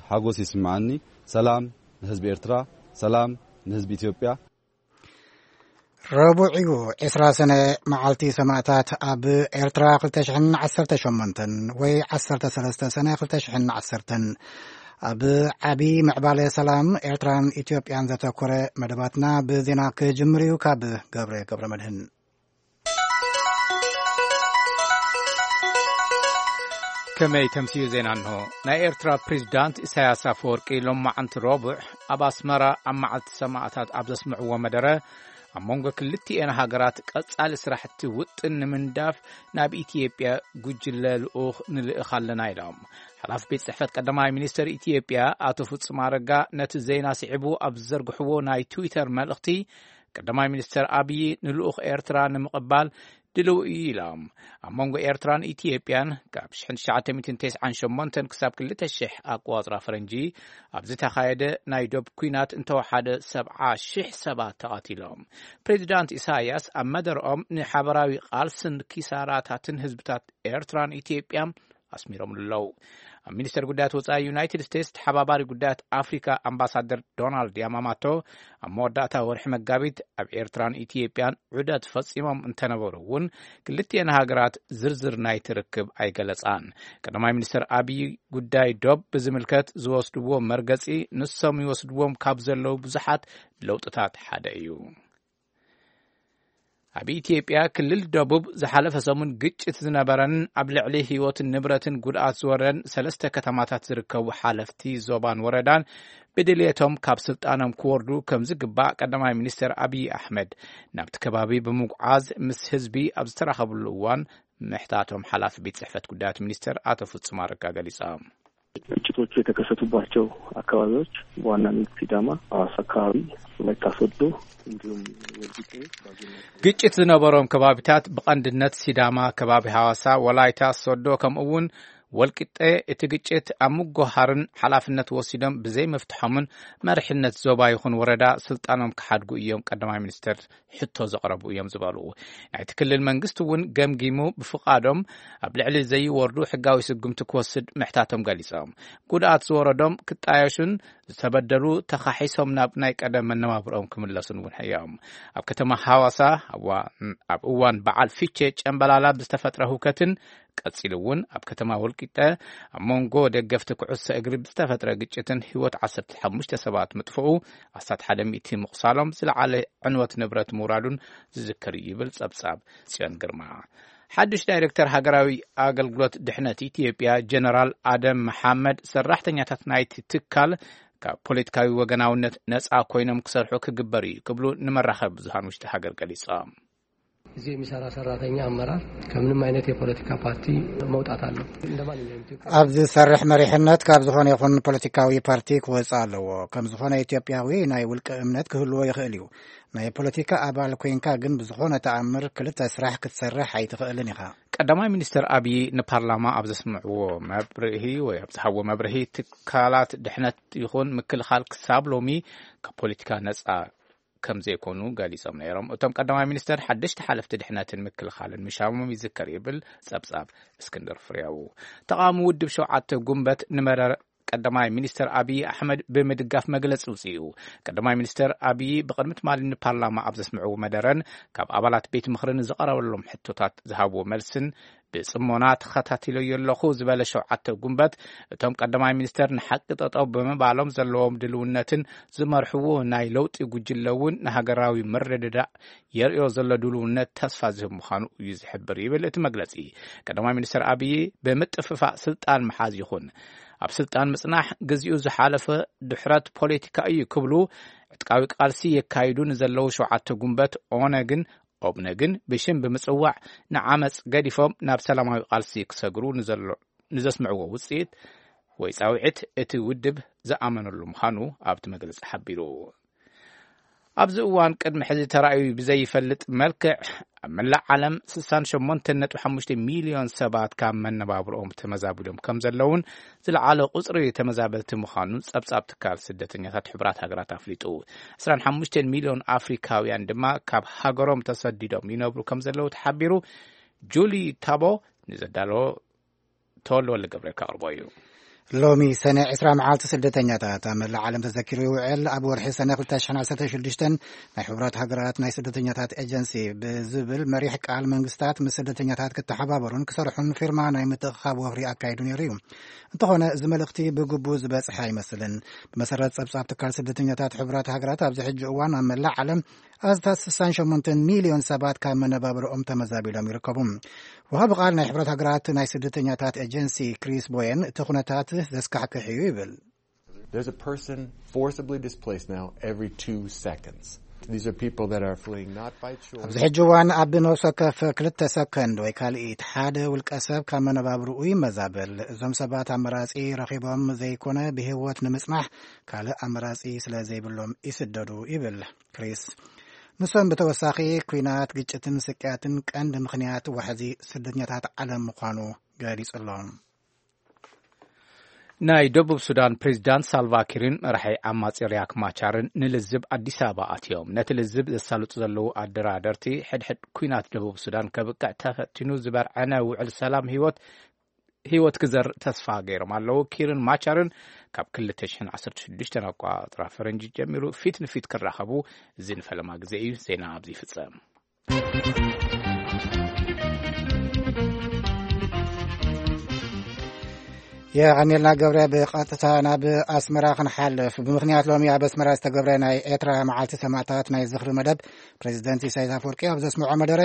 ሓጎስ ይስምዓኒ። ሰላም ንህዝቢ ኤርትራ፣ ሰላም ንህዝቢ ኢትዮጵያ። ረቡዕ እዩ፣ ዕስራ ሰነ፣ መዓልቲ ሰማእታት ኣብ ኤርትራ ክልተ ሽሕን ዓሰርተ ሸሞንተን ወይ ዓሰርተ ሰለስተ ሰነ ክልተ ሽሕን ዓሰርተን። ኣብ ዓቢ ምዕባለ ሰላም ኤርትራን ኢትዮጵያን ዘተኮረ መደባትና ብዜና ክጅምር እዩ። ካብ ገብረ ገብረ መድህን። ከመይ ተምስዩ ዜና እንሆ። ናይ ኤርትራ ፕሬዚዳንት ኢሳያስ ኣፈወርቂ ሎማዓንቲ ረቡዕ ኣብ ኣስመራ ኣብ መዓልቲ ሰማእታት ኣብ ዘስምዕዎ መደረ፣ ኣብ መንጎ ክልቲኤን ሃገራት ቀጻሊ ስራሕቲ ውጥን ንምንዳፍ ናብ ኢትዮጵያ ጉጅለ ልኡኽ ንልእኽ ኣለና ኢሎም። ሓላፊ ቤት ጽሕፈት ቀዳማይ ሚኒስትር ኢትዮጵያ ኣቶ ፍጹም ኣረጋ ነቲ ዜና ስዒቡ ኣብ ዝዘርግሕዎ ናይ ትዊተር መልእኽቲ፣ ቀዳማይ ሚኒስትር ኣብዪ ንልኡኽ ኤርትራ ንምቕባል ድልው እዩ ኢሎም። ኣብ መንጎ ኤርትራን ኢትዮጵያን ካብ ሽሕን ትሽዓተ ሚእትን ተስዓን ሸሞንተን ክሳብ ክልተ ሽሕ ኣቆጻጽራ ፈረንጂ ኣብ ዝተኻየደ ናይ ዶብ ኲናት እንተወሓደ ሰብዓ ሽሕ ሰባት ተቐቲሎም። ፕሬዚዳንት ኢሳያስ ኣብ መደርኦም ንሓበራዊ ቃልስን ኪሳራታትን ህዝብታት ኤርትራን ኢትዮጵያን ኣስሚሮምሉ ኣለዉ። ኣብ ሚኒስተር ጉዳያት ወጻኢ ዩናይትድ ስቴትስ ተሓባባሪ ጉዳያት ኣፍሪካ ኣምባሳደር ዶናልድ ያማማቶ ኣብ መወዳእታ ወርሒ መጋቢት ኣብ ኤርትራን ኢትዮጵያን ዑደት ፈጺሞም እንተነበሩ እውን ክልቲኤን ሃገራት ዝርዝር ናይቲ ርክብ ኣይገለጻን። ቀዳማይ ሚኒስተር ኣብዪ ጉዳይ ዶብ ብዝምልከት ዝወስድዎ መርገጺ ንሶም ይወስድዎም ካብ ዘለዉ ብዙሓት ለውጥታት ሓደ እዩ። ኣብ ኢትዮጵያ ክልል ደቡብ ዝሓለፈ ሰሙን ግጭት ዝነበረን ኣብ ልዕሊ ህይወትን ንብረትን ጉድኣት ዝወረደን ሰለስተ ከተማታት ዝርከቡ ሓለፍቲ ዞባን ወረዳን ብድልየቶም ካብ ስልጣኖም ክወርዱ ከም ዝግባእ ቀዳማይ ሚኒስትር ኣብዪ ኣሕመድ ናብቲ ከባቢ ብምጉዓዝ ምስ ህዝቢ ኣብ ዝተራኸብሉ እዋን ምሕታቶም ሓላፊ ቤት ጽሕፈት ጉዳያት ሚኒስትር ኣቶ ፍጹም ኣረጋ ገሊጾም። ግጭቶቹ የተከሰቱባቸው አካባቢዎች በዋናነት ሲዳማ፣ ሐዋሳ አካባቢ፣ ወላይታ ሶዶ እንዲሁም ወልቂጤ፣ ባጆና አካባቢ። ግጭት ዝነበሮም ከባቢታት ብቐንድነት ሲዳማ፣ ከባቢ ሐዋሳ፣ ወላይታ ሶዶ፣ ከምኡ እውን ወልቂጤ። እቲ ግጭት ኣብ ምጉሃርን ሓላፍነት ወሲዶም ብዘይምፍትሖምን መሪሕነት ዞባ ይኹን ወረዳ ስልጣኖም ክሓድጉ እዮም ቀዳማይ ሚኒስትር ሕቶ ዘቕረቡ እዮም ዝበሉ። ናይቲ ክልል መንግስቲ እውን ገምጊሙ ብፍቓዶም ኣብ ልዕሊ ዘይወርዱ ሕጋዊ ስጉምቲ ክወስድ ምሕታቶም ገሊጾም። ጉድኣት ዝወረዶም ክጣየሹን ዝተበደሉ ተኻሒሶም ናብ ናይ ቀደም መነባብሮኦም ክምለሱን እውን እዮም። ኣብ ከተማ ሐዋሳ ኣብ እዋ-፣ ኣብ እዋን በዓል ፊቼ ጨምበላላ ብዝተፈጥረ ሁከትን ቀጺሉ እውን ኣብ ከተማ ወልቂጠ ኣብ መንጎ ደገፍቲ ኩዕሶ እግሪ ብዝተፈጥረ ግጭትን ህይወት ዓሰርተ ሓሙሽተ ሰባት ምጥፍኡ፣ ኣስታት ሓደ ሚእቲ ምቑሳሎም፣ ዝለዓለ ዕንወት ንብረት ምውራዱን ዝዝከር እዩ ይብል ጸብጻብ ጽዮን ግርማ። ሓድሽ ዳይሬክተር ሃገራዊ ኣገልግሎት ድሕነት ኢትዮጵያ ጀነራል ኣደም መሓመድ ሰራሕተኛታት ናይቲ ትካል ካብ ፖለቲካዊ ወገናውነት ነጻ ኮይኖም ክሰርሑ ክግበር እዩ ክብሉ ንመራኸቢ ብዙሃን ውሽጢ ሃገር ገሊጾም። እዚህ የሚሰራ ሰራተኛ አመራር ከምንም አይነት የፖለቲካ ፓርቲ መውጣት አለው። እንደ ማንኛውም ኢትዮጵያ ኣብ ዝሰርሕ መሪሕነት ካብ ዝኾነ ይኹን ፖለቲካዊ ፓርቲ ክወጽእ ኣለዎ። ከም ዝኾነ ኢትዮጵያዊ ናይ ውልቀ እምነት ክህልዎ ይኽእል እዩ። ናይ ፖለቲካ ኣባል ኮይንካ ግን ብዝኾነ ተኣምር ክልተ ስራሕ ክትሰርሕ ኣይትኽእልን ኢኻ። ቀዳማይ ሚኒስትር ኣብዪ ንፓርላማ ኣብ ዘስምዕዎ መብርሂ ወይ ኣብ ዝሃብዎ መብርሂ፣ ትካላት ድሕነት ይኹን ምክልኻል ክሳብ ሎሚ ካብ ፖለቲካ ነጻ ከም ዘይኮኑ ገሊጾም ነይሮም። እቶም ቀዳማይ ሚኒስተር ሓደሽቲ ሓለፍቲ ድሕነትን ምክልኻልን ምሻሞም ይዝከር ይብል ጸብጻብ እስክንድር ፍሬው። ተቓዋሚ ውድብ ሸውዓተ ጉንበት ንመረር ቀዳማይ ሚኒስተር ኣብዪ ኣሕመድ ብምድጋፍ መግለጺ ውጽኡ። ቀዳማይ ሚኒስተር ኣብዪ ብቕድሚ ትማሊ ንፓርላማ ኣብ ዘስምዕዎ መደረን ካብ ኣባላት ቤት ምኽርን ዝቐረበሎም ሕቶታት ዝሃብዎ መልስን ብጽሞና ተኸታቲለዮ ኣለኹ ዝበለ ሸውዓተ ጉንበት፣ እቶም ቀዳማይ ሚኒስተር ንሓቂ ጠጠው ብምባሎም ዘለዎም ድልውነትን ዝመርሕዎ ናይ ለውጢ ጉጅለ እውን ንሃገራዊ ምርድዳእ የርእዮ ዘሎ ድልውነት ተስፋ ዝህብ ምዃኑ እዩ ዝሕብር ይብል እቲ መግለጺ። ቀዳማይ ሚኒስተር ኣብዪ ብምጥፍፋእ ስልጣን ምሓዝ ይኹን ኣብ ስልጣን ምጽናሕ ግዚኡ ዝሓለፈ ድሕረት ፖለቲካ እዩ ክብሉ ዕጥቃዊ ቃልሲ የካይዱ ንዘለዉ ሸውዓተ ጉንበት ኦነግን ኦብነግን ብሽም ብምጽዋዕ ንዓመጽ ገዲፎም ናብ ሰላማዊ ቃልሲ ክሰግሩ ንዘሎ-፣ ንዘስምዕዎ ውጽኢት ወይ ጻውዒት እቲ ውድብ ዝኣመነሉ ምዃኑ ኣብቲ መግለጺ ሓቢሩ። ኣብዚ እዋን ቅድሚ ሕዚ ተራእዩ ብዘይፈልጥ መልክዕ ኣብ መላእ ዓለም ስሳን ሸሞንተን ነጥቢ ሓሙሽተ ሚልዮን ሰባት ካብ መነባብሮኦም ተመዛቢሎም ከም ዘለውን ዝለዓለ ቁጽሪ ተመዛበልቲ ምዃኑን ጸብጻብ ትካል ስደተኛታት ሕቡራት ሃገራት ኣፍሊጡ። ዕስራን ሓሙሽተን ሚልዮን ኣፍሪካውያን ድማ ካብ ሃገሮም ተሰዲዶም ይነብሩ ከም ዘለዉ ተሓቢሩ። ጁሊ ታቦ ንዘዳለዎ ተወልደ ወልደ ገብርኤል ከቕርቦ እዩ። ሎሚ ሰነ ዕስራ መዓልቲ ስደተኛታት ኣብ መላእ ዓለም ተዘኪሩ ይውዕል። ኣብ ወርሒ ሰነ ክልተ ሽሕን ዓሰርተ ሽዱሽተን ናይ ሕቡራት ሃገራት ናይ ስደተኛታት ኤጀንሲ ብዝብል መሪሕ ቃል መንግስታት ምስ ስደተኛታት ክተሓባበሩን ክሰርሑን ፊርማ ናይ ምትእኽኻብ ወፍሪ ኣካይዱ ነይሩ እዩ። እንተኾነ እዚ መልእኽቲ ብግቡእ ዝበጽሐ ኣይመስልን። ብመሰረት ጸብጻብ ትካል ስደተኛታት ሕቡራት ሃገራት ኣብዚ ሕጂ እዋን ኣብ መላእ ዓለም ኣስታት ስሳን ሸሞንተን ሚልዮን ሰባት ካብ መነባብሮኦም ተመዛቢሎም ይርከቡ። ወሃቢ ቃል ናይ ሕብረት ሃገራት ናይ ስደተኛታት ኤጀንሲ ክሪስ ቦየን እቲ ኩነታት ዘስካሕክሕ እዩ ይብል። There's a person forcibly displaced now every two seconds. These are people that are fleeing not by choice. ኣብዚ ሕጂ እዋን ኣብ ነፍሲ ወከፍ ክልተ ሰከንድ ወይ ካልኢት ሓደ ውልቀ ሰብ ካብ መነባብርኡ ይመዛበል። እዞም ሰባት ኣመራጺ ረኺቦም ዘይኮነ ብህይወት ንምጽናሕ ካልእ ኣመራጺ ስለ ዘይብሎም ይስደዱ ይብል ክሪስ። ንሶም ብተወሳኺ ኲናት፣ ግጭትን ስቅያትን ቀንዲ ምኽንያት ዋሕዚ ስደተኛታት ዓለም ምዃኑ ገሊጹ ኣሎ። ናይ ደቡብ ሱዳን ፕሬዚዳንት ሳልቫኪርን መራሒ ዓማጺ ሪያክ ማቻርን ንልዝብ ኣዲስ ኣበባ ኣትዮም። ነቲ ልዝብ ዘሳልጡ ዘለዉ ኣደራደርቲ ሕድሕድ ኲናት ደቡብ ሱዳን ከብቅዕ ተፈቲኑ ዝበርዐነ ውዕል ሰላም ህይወት ህይወት ክዘር ተስፋ ገይሮም ኣለዉ። ኪርን ማቻርን ካብ ክልተ ሽሕን ዓሰርተ ሽዱሽተን ኣቋጽራ ፈረንጂ ጀሚሩ ፊት ንፊት ክራኸቡ እዚ ንፈለማ ግዜ እዩ። ዜና ኣብዚ ይፍጸም። የቐኔልና ገብረ። ብቐጥታ ናብ ኣስመራ ክንሓልፍ። ብምኽንያት ሎሚ ኣብ ኣስመራ ዝተገብረ ናይ ኤርትራ መዓልቲ ሰማእታት ናይ ዝኽሪ መደብ፣ ፕሬዚደንት ኢሳያስ ኣፈወርቂ ኣብ ዘስምዖ መደረ፣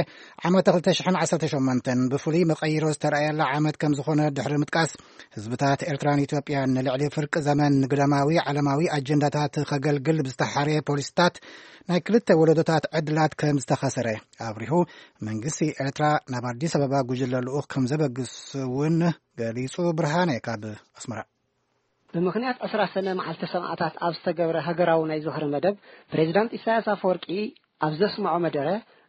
ዓመተ ክልተ ሽሕን ዓሰርተ ሸሞንተን ብፍሉይ መቐይሮ ዝተረኣየላ ዓመት ከም ዝኾነ ድሕሪ ምጥቃስ፣ ህዝብታት ኤርትራን ኢትዮጵያን ንልዕሊ ፍርቂ ዘመን ንግዳማዊ ዓለማዊ ኣጀንዳታት ከገልግል ብዝተሓርየ ፖሊሲታት ናይ ክልተ ወለዶታት ዕድላት ከም ዝተኸሰረ ኣብሪሁ። መንግስቲ ኤርትራ ናብ ኣዲስ ኣበባ ጉጅለ ልኡኽ ከም ዘበግስ እውን ገሊጹ። ብርሃነ ካብ ኣስመራ። ብምኽንያት ዕስራ ሰነ መዓልቲ ሰማእታት ኣብ ዝተገብረ ሃገራዊ ናይ ዝኽሪ መደብ፣ ፕሬዚዳንት ኢሳያስ ኣፈወርቂ ኣብ ዘስምዖ መደረ፣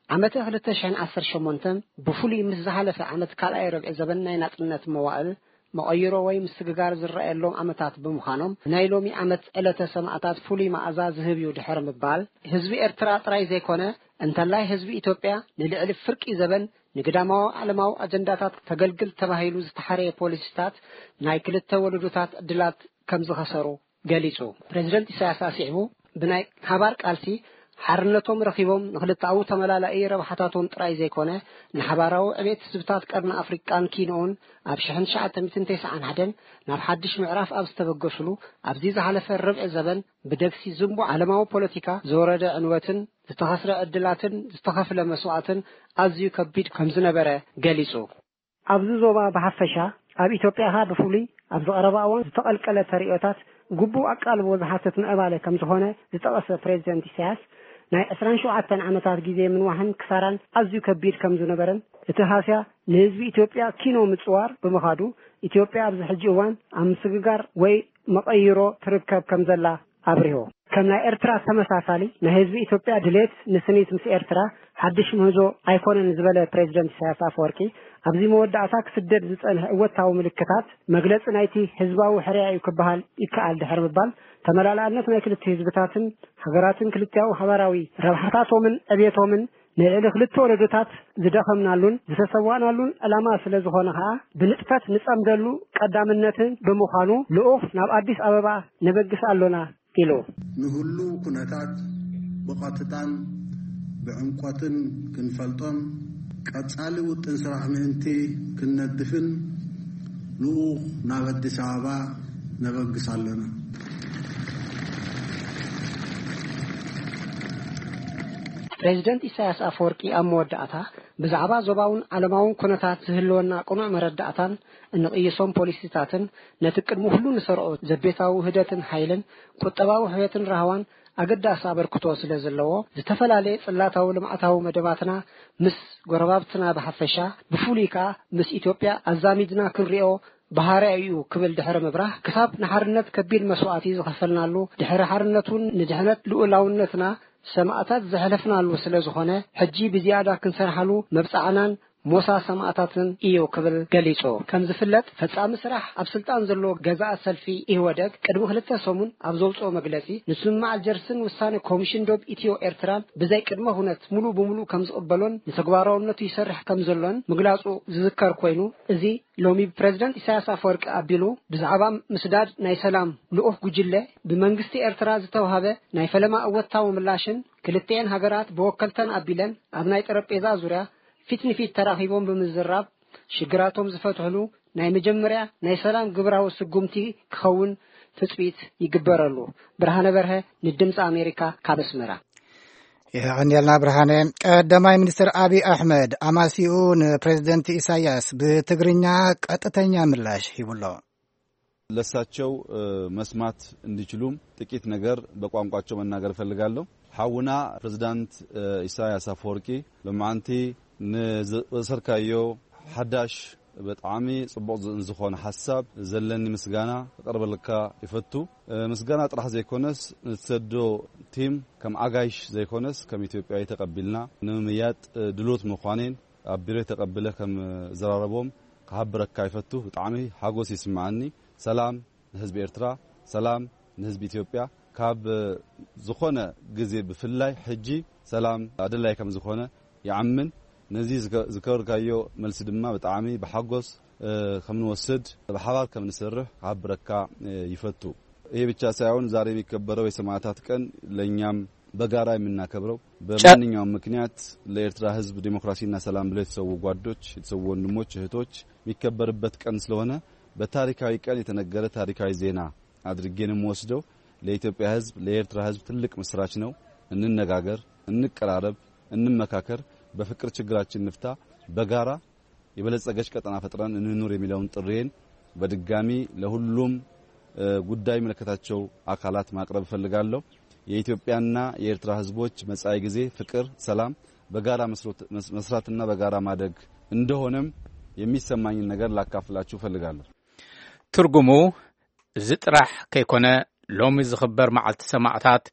ዓመተ ክልተ ሽሕን ዓሰርተ ሸሞንተን ብፍሉይ ምስ ዝሓለፈ ዓመት ካልኣይ ርብዒ ዘበን ናይ ናጽነት መዋእል መቐይሮ ወይ ምስግጋር ዝረኣየሎም ዓመታት ብምዃኖም፣ ናይ ሎሚ ዓመት ዕለተ ሰማእታት ፍሉይ መኣዛ ዝህብ እዩ ድሕሪ ምባል፣ ህዝቢ ኤርትራ ጥራይ ዘይኮነ፣ እንተላይ ህዝቢ ኢትዮጵያ ንልዕሊ ፍርቂ ዘበን ንግዳማዊ ዓለማዊ ኣጀንዳታት ከገልግል ተባሂሉ ዝተሓረየ ፖሊሲታት ናይ ክልተ ወለዶታት ዕድላት ከም ዝኸሰሩ ገሊጹ። ፕሬዚደንት ኢሳያስ ኣስዒቡ፣ ብናይ ሓባር ቃልሲ ሓርነቶም ረኺቦም ንክልተኣዊ ተመላላኢ ረብሓታቶም ጥራይ ዘይኮነ፣ ንሓባራዊ ዕቤት ህዝብታት ቀርኒ ኣፍሪቃን ኪንኡን ኣብ ሽሕን ትሽዓተ ሚእትን ተስዓን ሓደን ናብ ሓድሽ ምዕራፍ ኣብ ዝተበገሱሉ ኣብዚ ዝሓለፈ ርብዒ ዘበን ብደግሲ ዝንቡዕ ዓለማዊ ፖለቲካ ዝወረደ ዕንወትን ዝተኸስረ ዕድላትን ዝተኸፍለ መስዋእትን ኣዝዩ ከቢድ ከም ዝነበረ ገሊጹ። ኣብዚ ዞባ ብሓፈሻ፣ ኣብ ኢትዮጵያ ኸኣ ብፍሉይ፣ ኣብዚ ቀረባ እዋን ዝተቐልቀለ ተርእዮታት ግቡእ ኣቃልቦ ዝሓትት ምዕባለ ከም ዝኾነ ዝጠቐሰ ፕሬዚደንት ኢሳያስ፣ ናይ ዕስራን ሸውዓተን ዓመታት ግዜ ምንዋሕን ክሳራን ኣዝዩ ከቢድ ከም ዝነበረን፣ እቲ ሃስያ ንህዝቢ ኢትዮጵያ ኪኖ ምጽዋር ብምኻዱ፣ ኢትዮጵያ ኣብዚ ሕጂ እዋን ኣብ ምስግጋር ወይ መቐይሮ ትርከብ ከም ዘላ ኣብሪሁ። ከም ናይ ኤርትራ ተመሳሳሊ ናይ ህዝቢ ኢትዮጵያ ድሌት ንስኒት ምስ ኤርትራ ሓድሽ ምህዞ ኣይኮነን ዝበለ ፕሬዚደንት ኢሳያስ ኣፈወርቂ፣ ኣብዚ መወዳእታ ክስደድ ዝጸንሐ እወታዊ ምልክታት መግለጺ ናይቲ ህዝባዊ ሕርያ እዩ ክበሃል ይከኣል ድሕሪ ምባል፣ ተመላላእነት ናይ ክልተ ህዝብታትን ሃገራትን ክልቲኣዊ ሓባራዊ ረብሓታቶምን ዕብየቶምን ንልዕሊ ክልተ ወለዶታት ዝደኸምናሉን ዝተሰዋእናሉን ዕላማ ስለ ዝኾነ ኸኣ ብንጥፈት ንጸምደሉ ቀዳምነትን ብምዃኑ ልኡኽ ናብ ኣዲስ ኣበባ ነበግስ ኣሎና ኢሉ። ንህሉው ኩነታት ብቐጥታን ብዕምቆትን ክንፈልጦን ቀጻሊ ውጥን ስራሕ ምእንቲ ክንነድፍን ልኡኽ ናብ ኣዲስ ኣበባ ነበግስ ኣሎና። ፕሬዚደንት ኢሳያስ ኣፈወርቂ ኣብ መወዳእታ ብዛዕባ ዞባውን ዓለማውን ኩነታት ዝህልወና ቅኑዕ መረዳእታን እንቕይሶም ፖሊሲታትን ነቲ ቅድሚ ኩሉ ንሰርዖ ዘቤታዊ ውህደትን ሓይልን ቁጠባዊ ሕውየትን ራህዋን ኣገዳሲ ኣበርክቶ ስለ ዘለዎ፣ ዝተፈላለየ ጽላታዊ ልምዓታዊ መደባትና ምስ ጎረባብትና ብሓፈሻ፣ ብፍሉይ ከኣ ምስ ኢትዮጵያ ኣዛሚድና ክንሪኦ ባህርያዊ እዩ ክብል ድሕሪ ምብራህ፣ ክሳብ ንሓርነት ከቢድ መስዋእቲ ዝኸፈልናሉ፣ ድሕሪ ሓርነት እውን ንድሕነት ልኡላውነትና ሰማእታት ዘሕለፍናሉ ስለ ዝኾነ፣ ሕጂ ብዝያዳ ክንሰርሓሉ መብጻዕናን ሞሳ ሰማእታትን እዩ ክብል ገሊጹ። ከም ዝፍለጥ፣ ፈጻሚ ስራሕ ኣብ ስልጣን ዘሎ ገዛእ ሰልፊ ኢህወደግ ቅድሚ ክልተ ሰሙን ኣብ ዘውጽኦ መግለጺ፣ ንስምምዕ ኣልጀርስን ውሳነ ኮሚሽን ዶብ ኢትዮ ኤርትራን ብዘይ ቅድመ ኩነት ሙሉ ብሙሉ ከም ዝቕበሎን ንተግባራውነቱ ይሰርሕ ከም ዘሎን ምግላጹ ዝዝከር ኮይኑ፣ እዚ ሎሚ ብፕረዚደንት ኢሳያስ ኣፈወርቂ ኣቢሉ ብዛዕባ ምስዳድ ናይ ሰላም ልኡኽ ጉጅለ ብመንግስቲ ኤርትራ ዝተውሃበ ናይ ፈለማ እወታዊ ምላሽን ክልቲኤን ሃገራት ብወከልተን ኣቢለን ኣብ ናይ ጠረጴዛ ዙርያ ፊት ንፊት ተራኺቦም ብምዝራብ ሽግራቶም ዝፈትሕሉ ናይ መጀመርያ ናይ ሰላም ግብራዊ ስጉምቲ ክኸውን ትጽቢት ይግበረሉ። ብርሃነ በርሀ ንድምፂ ኣሜሪካ ካብ ኣስመራ። የቐንየልና ብርሃነ። ቀዳማይ ሚኒስትር ኣብይ ኣሕመድ ኣማሲኡ ንፕሬዝደንት ኢሳያስ ብትግርኛ ቀጥተኛ ምላሽ ሂቡሎ። ለሳቸው መስማት እንዲችሉም ጥቂት ነገር በቋንቋቸው መናገር እፈልጋለሁ። ሓውና ፕሬዝዳንት ኢሳያስ አፈወርቂ፣ ሎማዓንቲ ንዝወሰድካዮ ሓዳሽ ብጣዕሚ ጽቡቕ ዝ-፣ ዝኾነ ሓሳብ ዘለኒ ምስጋና ክቐርበልካ ይፈቱ። ምስጋና ጥራሕ ዘይኮነስ፣ ንትሰዶ ቲም ከም ኣጋይሽ ዘይኮነስ፣ ከም ኢትዮጵያዊ ተቐቢልና ንምምያጥ ድሉት ምዃኔን ኣብ ቢሮ ተቐብለ ከም ዘራረቦም ክሓብረካ ይፈቱ። ብጣዕሚ ሓጎስ ይስምዓኒ። ሰላም ንህዝቢ ኤርትራ፣ ሰላም ንህዝቢ ኢትዮጵያ። ካብ ዝኾነ ግዜ ብፍላይ ሕጂ ሰላም ኣድላይ ከም ዝኾነ ይኣምን። ነዚ ዝገ-፣ ዝገበርካዮ መልሲ ድማ ብጣዕሚ ብሓጎስ፣ እ፣ ከም ንወስድ፣ ብሓባር ከም ንሰርሕ ክሓብረካ፣ እ፣ ይፈቱ። ይሄ ብቻ ሳይሆን ዛሬ የሚከበረው የሰማዕታት ቀን ለእኛም በጋራ የምናከብረው፣ በማንኛውም ምክንያት ለኤርትራ ህዝብ ዲሞክራሲና ሰላም ብለው የተሰዉ ጓዶች፣ የተሰዉ ወንድሞች፣ እህቶች የሚከበርበት ቀን ስለሆነ በታሪካዊ ቀን የተነገረ ታሪካዊ ዜና አድርጌ ነው የምወስደው። ለኢትዮጵያ ህዝብ፣ ለኤርትራ ህዝብ ትልቅ ምስራች ነው። እንነጋገር፣ እንቀራረብ፣ እንመካከር፣ በፍቅር ችግራችን ንፍታ፣ በጋራ የበለጸገች ቀጠና ፈጥረን እንኑር የሚለውን ጥሪዬን በድጋሚ ለሁሉም፣ እ፣ ጉዳይ የሚመለከታቸው አካላት ማቅረብ እፈልጋለሁ። የኢትዮጵያና የኤርትራ ህዝቦች መጻኢ ጊዜ ፍቅር፣ ሰላም፣ በጋራ መስሮት-፣ መስ-፣ መስራትና በጋራ ማደግ እንደሆነም የሚሰማኝን ነገር ላካፍላችሁ እፈልጋለሁ። ትርጉሙ፣ እዚ ጥራሕ ከይኮነ፣ ሎሚ ዝኽበር መዓልቲ ሰማእታት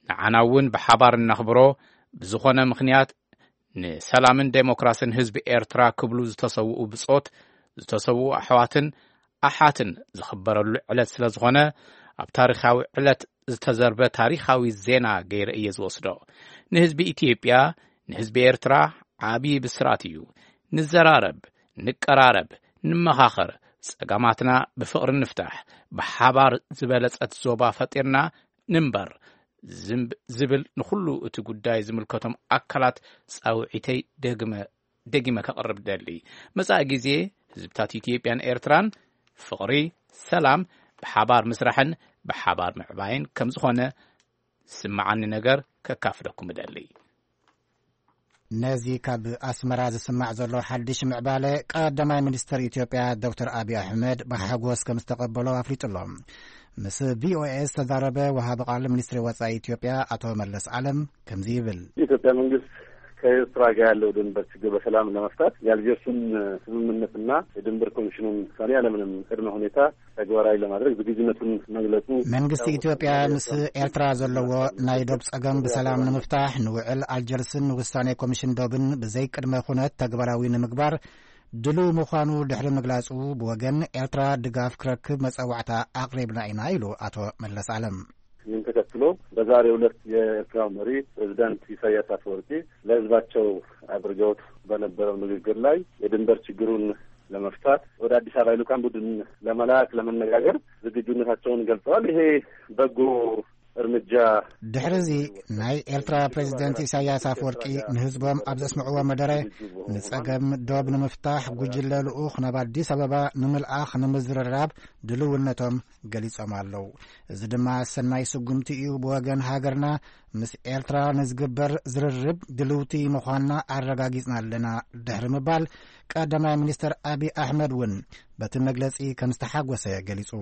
ንዓና እውን ብሓባር እናኽብሮ፣ ብዝኾነ ምኽንያት ንሰላምን ዴሞክራስን ህዝቢ ኤርትራ ክብሉ ዝተሰውኡ ብጾት፣ ዝተሰውኡ ኣሕዋትን ኣሓትን ዝኽበረሉ ዕለት ስለ ዝኾነ፣ ኣብ ታሪኻዊ ዕለት ዝተዘርበ ታሪኻዊ ዜና ገይረ እየ ዝወስዶ። ንህዝቢ ኢትዮጵያ፣ ንህዝቢ ኤርትራ ዓቢ ብስራት እዩ። ንዘራረብ፣ ንቀራረብ፣ ንመኻኸር፣ ጸገማትና ብፍቕሪ ንፍታሕ፣ ብሓባር ዝበለጸት ዞባ ፈጢርና ንንበር ዝም-፣ ዝብል ንኹሉ እቲ ጉዳይ ዝምልከቶም ኣካላት ጻውዒተይ ደግመ፣ ደጊመ ከቕርብ ደሊ። መጻኢ ግዜ ህዝብታት ኢትዮጵያን ኤርትራን ፍቕሪ፣ ሰላም፣ ብሓባር ምስራሕን ብሓባር ምዕባይን ከም ዝኾነ ዝስምዓኒ ነገር ከካፍለኩም እደሊ። ነዚ ካብ ኣስመራ ዝስማዕ ዘሎ ሓድሽ ምዕባለ ቀዳማይ ሚኒስተር ኢትዮጵያ ዶክተር ኣብይ ኣሕመድ ብሓጎስ ከም ዝተቐበሎ ኣፍሊጡ ኣሎ። ምስ ቪኦኤ ዝተዛረበ ወሃቢ ቃል ሚኒስትሪ ወጻኢ ኢትዮጵያ ኣቶ መለስ ዓለም ከምዚ ይብል። የኢትዮጵያ መንግስት ከኤርትራ ጋር ያለው ድንበር ችግር በሰላም ለመፍታት የአልጀርሱን ስምምነትና የድንበር ኮሚሽኑን ውሳኔ ያለምንም ቅድመ ሁኔታ ተግባራዊ ለማድረግ ዝግጁነቱን መግለጹ መንግስቲ ኢትዮጵያ ምስ ኤርትራ ዘለዎ ናይ ዶብ ጸገም ብሰላም ንምፍታሕ ንውዕል ኣልጀርስን ንውሳኔ ኮሚሽን ዶብን ብዘይ ቅድመ ኩነት ተግባራዊ ንምግባር ድሉው ምዃኑ ድሕሪ ምግላጹ፣ ብወገን ኤርትራ ድጋፍ ክረክብ መጸዋዕታ ኣቕሪብና ኢና ኢሉ ኣቶ መለስ ዓለም። ይህን ተከትሎ በዛሬው ዕለት የኤርትራው መሪ ፕሬዝዳንት ኢሳያስ አፈወርቂ ለህዝባቸው አድርገውት በነበረው ንግግር ላይ የድንበር ችግሩን ለመፍታት ወደ አዲስ አበባ የልኡካን ቡድን ለመላክ ለመነጋገር ዝግጁነታቸውን ገልጸዋል። ይሄ በጎ እርምጃ። ድሕሪ እዚ ናይ ኤርትራ ፕሬዝደንት ኢሳያስ ኣፈወርቂ ንህዝቦም ኣብ ዘስምዕዎ መደረ ንጸገም ዶብ ንምፍታሕ ጉጅለ ልኡኽ ናብ ኣዲስ ኣበባ ንምልኣኽ ንምዝርራብ ድልውነቶም ገሊጾም ኣለዉ። እዚ ድማ ሰናይ ስጉምቲ እዩ። ብወገን ሃገርና ምስ ኤርትራ ንዝግበር ዝርርብ ድልውቲ ምዃንና ኣረጋጊጽና ኣለና ድሕሪ ምባል ቀዳማይ ሚኒስተር ኣብይ ኣሕመድ እውን በቲ መግለጺ ከም ዝተሓጎሰ ገሊጹ።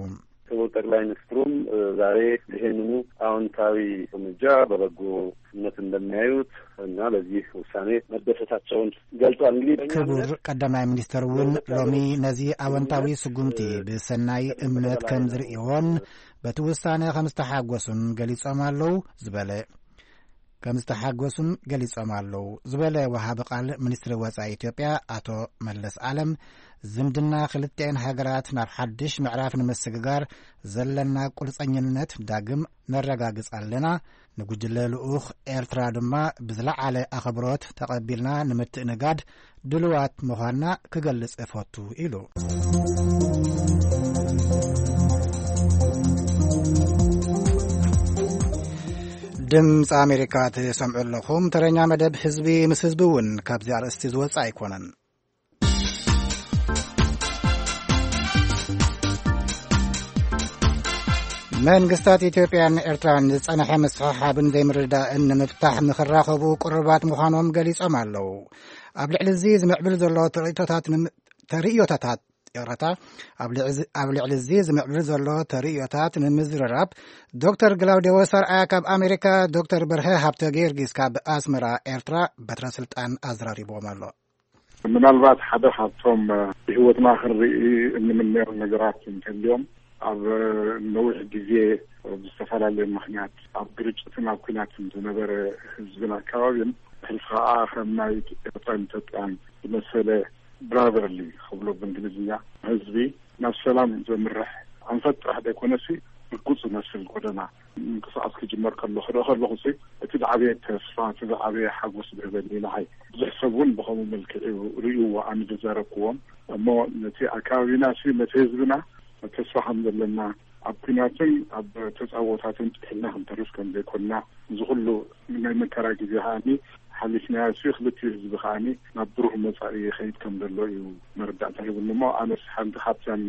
ክቡር ጠቅላይ ሚኒስትሩም፣ እ፣ ዛሬ ይሄንኑ አዎንታዊ እርምጃ በበጎነት እንደሚያዩት እና ለዚህ ውሳኔ መደሰታቸውን ገልጸዋል። እንግዲህ በእኛ ክቡር እምነት ቀዳማይ ሚኒስተር እውን ሎሚ ነዚ ኣወንታዊ ስጉምቲ ብሰናይ እምነት ከም ዝርእይዎን በቲ ውሳነ ከም ዝተሓጎሱን ገሊጾም ኣለዉ ዝበለ ከም ዝተሓጎሱን ገሊጾም ኣለዉ ዝበለ ወሃቢ ቃል ሚኒስትሪ ወጻኢ ኢትዮጵያ ኣቶ መለስ ኣለም፣ ዝምድና ክልቲኤን ሃገራት ናብ ሓድሽ ምዕራፍ ንምስግጋር ዘለና ቁርጸኝነት ዳግም ነረጋግጽ ኣለና። ንጉጅለ ልኡኽ ኤርትራ ድማ ብዝለዓለ ኣኽብሮት ተቐቢልና ንምትእንጋድ ድልዋት ምዃንና ክገልጽ እፈቱ ኢሉ። ድምፂ ኣሜሪካ ትሰምዑ ኣለኹም። ተረኛ መደብ ህዝቢ ምስ ህዝቢ እውን ካብዚ ኣርእስቲ ዝወፅእ ኣይኮነን። መንግስታት ኢትዮጵያን ኤርትራን ዝጸንሐ ምስሕሓብን ዘይምርድዳእን ንምፍታሕ ንኽራኸቡ ቅሩባት ምዃኖም ገሊጾም ኣለዉ። ኣብ ልዕሊ እዚ ዝምዕብል ዘሎ ተርእዮታት ንም-፣ ተርእዮታት፣ ይቕረታ፣ ኣብ ልዕዚ-፣ ኣብ ልዕሊ እዚ ዝምዕብል ዘሎ ተርእዮታት ንምዝርራብ ዶክተር ግላውዴዎስ ኣርኣያ ካብ ኣሜሪካ፣ ዶክተር በርሀ ሃብተ ጊዮርጊስ ካብ ኣስመራ ኤርትራ በትረ ስልጣን ኣዘራሪብዎም ኣሎ። ምናልባት ሓደ ካብቶም፣ እ፣ ብህይወትና ክንርኢ እንምነዮም ነገራት እንተልዮም፣ ኣብ፣ እ፣ ነዊሕ ግዜ ብዝተፈላለየ ምኽንያት ኣብ ግርጭትን ኣብ ኲናትን ዝነበረ ህዝብን ኣከባቢን፣ ሕልፊ ኸዓ ከም ናይ ኤርትራን ኢትዮጵያን ዝመሰለ ብራዘርሊ ክብሎ ብእንግሊዝኛ ህዝቢ ናብ ሰላም ዘምርሕ ኣንፈት ጥራሕ ዘይኮነሲ ርጉጽ ዝመስል ጎደና ምንቅስቃስ ክጅመር ከሎ ክርኢ ከለኹ ሲ እቲ ዝዓበየ ተስፋ፣ እቲ ዝዓበየ ሓጎስ ዝህበኒ ንዓይ። ብዙሕ ሰብ እውን ብኸምኡ መልክዕ እዩ ርእይዎ ኣነ ዝዛረብክዎም። እሞ ነቲ ኣከባቢና ሲ ነቲ ህዝብና ተስፋ ከም ዘለና፣ ኣብ ኲናትን ኣብ ተጻብኦታትን ጥሒልና ክንተርፍ ከም ዘይኮንና፣ እዚ ኩሉ ናይ መከራ ግዜ ከኣኒ ሓሊፍናዮ ሲ ክልቲኡ ህዝቢ ከኣኒ ናብ ብሩህ መጻኢ ይኸይድ ከም ዘሎ እዩ መረዳእታ ሂቡኒ። እሞ ኣነስ ሓንቲ ካብተን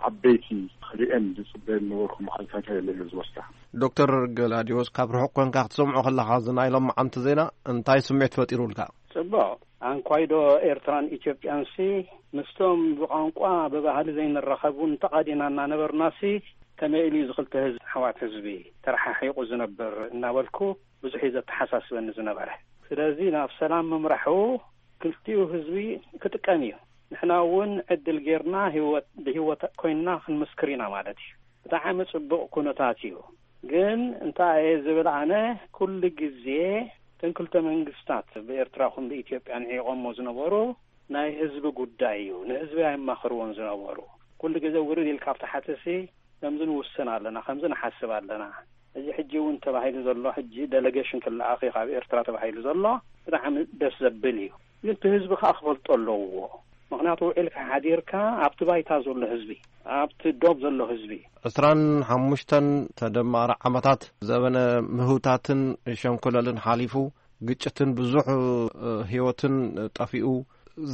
ዓበይቲ ክርእየን ዝጽበየን ነበርኩ መዓልታት እየ ዝወስዳ። ዶክተር ገላዲዮስ፣ ካብ ርሑቕ ኮንካ ክትሰምዖ ከለኻ፣ እዚ ናይ ሎማዓንቲ ዜና እንታይ ስምዒት ፈጢሩልካ? ጽቡቕ። ኣንኳይዶ ኤርትራን ኢትዮጵያን ሲ ምስቶም ብቋንቋ ብባህሊ ዘይንራኸብ እውን ተቓዲና እናነበርና ሲ ከመይ ኢሉ እዩ እዚ ክልተ ህዝቢ፣ ኣሕዋት ህዝቢ፣ ተረሓሒቑ ዝነብር እናበልኩ ብዙሕ እዩ ዘተሓሳስበኒ ዝነበረ። ስለዚ ናብ ሰላም ምምራሑ ክልቲኡ ህዝቢ ክጥቀም እዩ። ንሕና እውን ዕድል ጌርና ህይወት፣ ብህይወት ኮይንና ክንምስክር ኢና ማለት እዩ። ብጣዕሚ ጽቡቕ ኩነታት እዩ። ግን እንታይ እየ ዝብል ኣነ፣ ኩሉ ግዜ እተን ክልተ መንግስታት ብኤርትራ ኹን ብኢትዮጵያ ንዒቖሞ ዝነበሩ ናይ ህዝቢ ጉዳይ እዩ። ንህዝቢ ኣይማኽርዎን ዝነበሩ። ኩሉ ግዜ ውርድ ኢልካ ኣብ ታሕቲ ሲ ከምዚ ንውስን ኣለና፣ ከምዚ ንሓስብ ኣለና። እዚ ሕጂ እውን ተባሂሉ ዘሎ፣ ሕጂ ደለጌሽን ክለኣኽ እዩ ካብ ኤርትራ ተባሂሉ ዘሎ፣ ብጣዕሚ ደስ ዘብል እዩ። ግን እቲ ህዝቢ ከኣ ክፈልጦ ኣለዎ። ምኽንያቱ ውዒልካ ሓዲርካ ኣብቲ ባይታ ዘሎ ህዝቢ፣ ኣብቲ ዶብ ዘሎ ህዝቢ። ዕስራን ሓሙሽተን ተደማሪ ዓመታት ዘበነ ምህውታትን ሸንኮለልን ሓሊፉ፣ ግጭትን ብዙሕ፣ እ፣ ህይወትን ጠፊኡ፣